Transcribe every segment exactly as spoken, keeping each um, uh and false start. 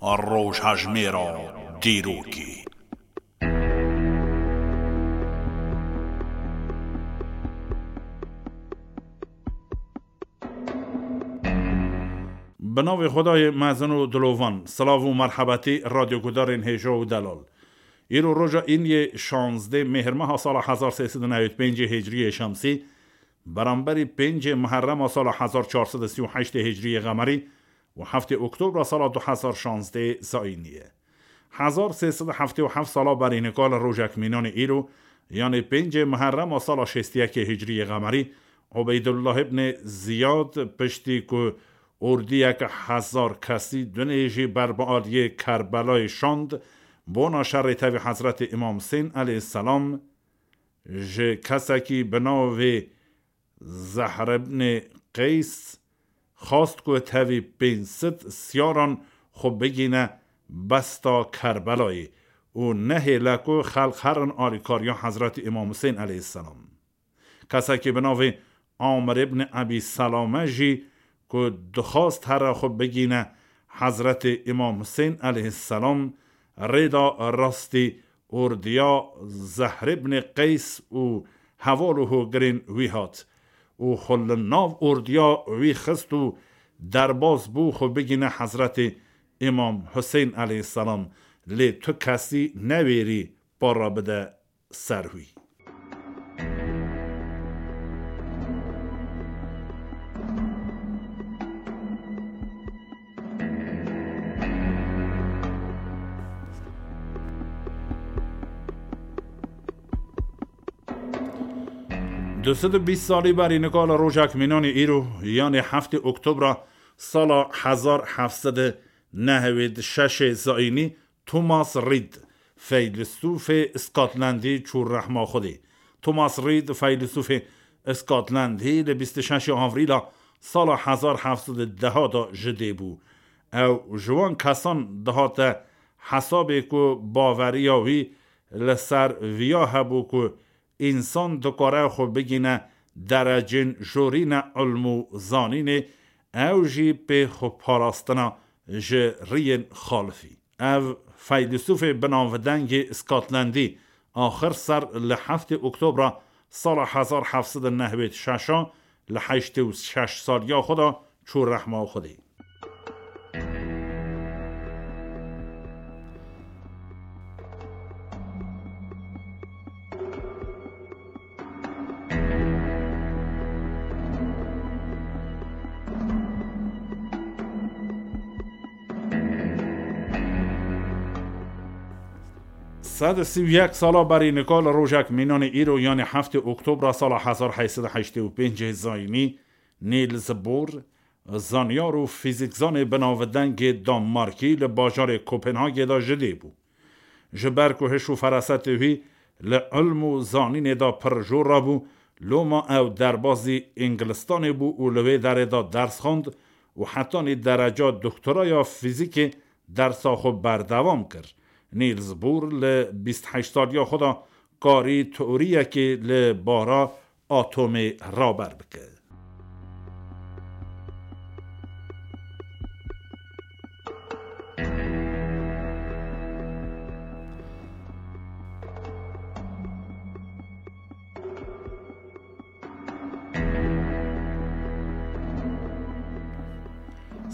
Rojhejmêra dîrokê. Bi navê Xwedayê mezin û dilovan, silav û merhebetî radyogudarên hêja û delal. Îro roja îniyê şazdeh Mêhrmeha sala hezar sê sed û newêd pêncê Hicriyê Şemsî, beramberî pêncê Muherrema sala hezar çar sed û sî û heştê Hicriyê Qemerî û heftê Oktobra sala du hezar şazdeh Zayînî ye. Hezar sê sed û heftê û heft sala berî nika li rojek mînanê îro, yanê pêncê Muherrema sala şêst û yekê Hicriyê Qemerî, Ubeydullah ibnê Ziyad piştî ku ordiyeke hezar kesî dunê jî ber bi aliyê Kerbelayê şand, bona şerê tevî Hezretê Îmam Husên aleyhisselam, ji kesekî bi navê Zehr ibnê Qeys xwast ku tevî pênc sed siyaran xwe bigîne besta Kerbelayê û nehêle ku xelq herin alîkariya Hezretî Îmam Husên aleyhisselam. Kesekî bi navê Amir ibn Ebî Selame jî ku dixwast here xwe bigîne Hezretê Îmam Husên aleyhisselam, rêda rastî ordiya Zehr ibn Qeys û heval û hogirên wî hat û xwe li nav ordiya wî xist û derbas bû xwe bigîne Hezretê Îmam Husên aleyhisselam, lê tu kesî newêrî para bide ser wî. Du sed û bîst salî berî nika li rojek mînanê îro, yanê heftê Oktobra sala hezar heft sed û nehewêd şeşê Zayînî, Thomas Reid, feylesûfê Scotlandî çû rehma Xwedê. Thomas Reid, feylesûfê Scotlandî, li bîst û şeşê Avrîla sala hezar heft sed û deh de ji dê bû. Ew ji wan kesan dihate hesabê ku baweriya wî li ser viya hebû ku însan dikare xwe bigîne derecên jorîne ilm û zanînê, ew jî pê xweparastina ji riyên xalifî. Ev feylesûfê binavdengê Scotlandî axir ser li heftê Oktobra sala hezar heft sed û nehwêd şeşa li heştê û şeş saliya xwe de çû rehma Xwedê. Sed û sî û yek sala berî nika li rojek mînanê îro, yanê heftê Oktobra sala hezar heyt sed û heştê û pêncê Zayînî, Niels Bohr, zanyar û fîzîkzanê binavdengê Danmarkî, li bajarê Kopenhagê de ji dê bû. Ji ber ku hiş û ferasetê wî li ilm û zanînê de pir jor rabû, loma ew derbazî Îngilistanê bû û li wê derê de ders xwend û hetanî dereca doktoraya fîzîkê dersa xwe berdewam kir. Niels Bohr li bîst heşt saliya xwe de karî teoriyekê li bara atomê raber bike.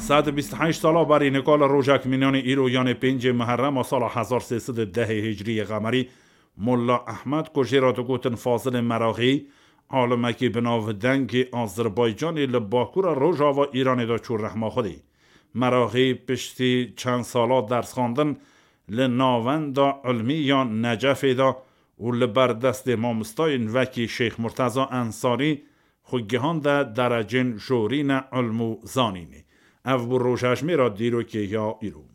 Sed û bîst û heşt sala berî nika li rojek mînanê îro, yanê pêncê Muherrema sala hezar sê sed û dehê Hicriyê Qemerî, Molla Ehmed, ku jê re digotin Fazilê Meraxî, alimekî binavdengê Azerbaycanê li bakura rojava Îranê de çû rehma Xwedê. Meraxî piştî çend sala dersxwendin li navenda ilmî ya Necefê de û li ber destê mamostayên wekî Şêx Murteza Ensarî xwe gihande derecên jorîne ilm û zanînê. Ev bû rojhejmêra dîrokê ya îro.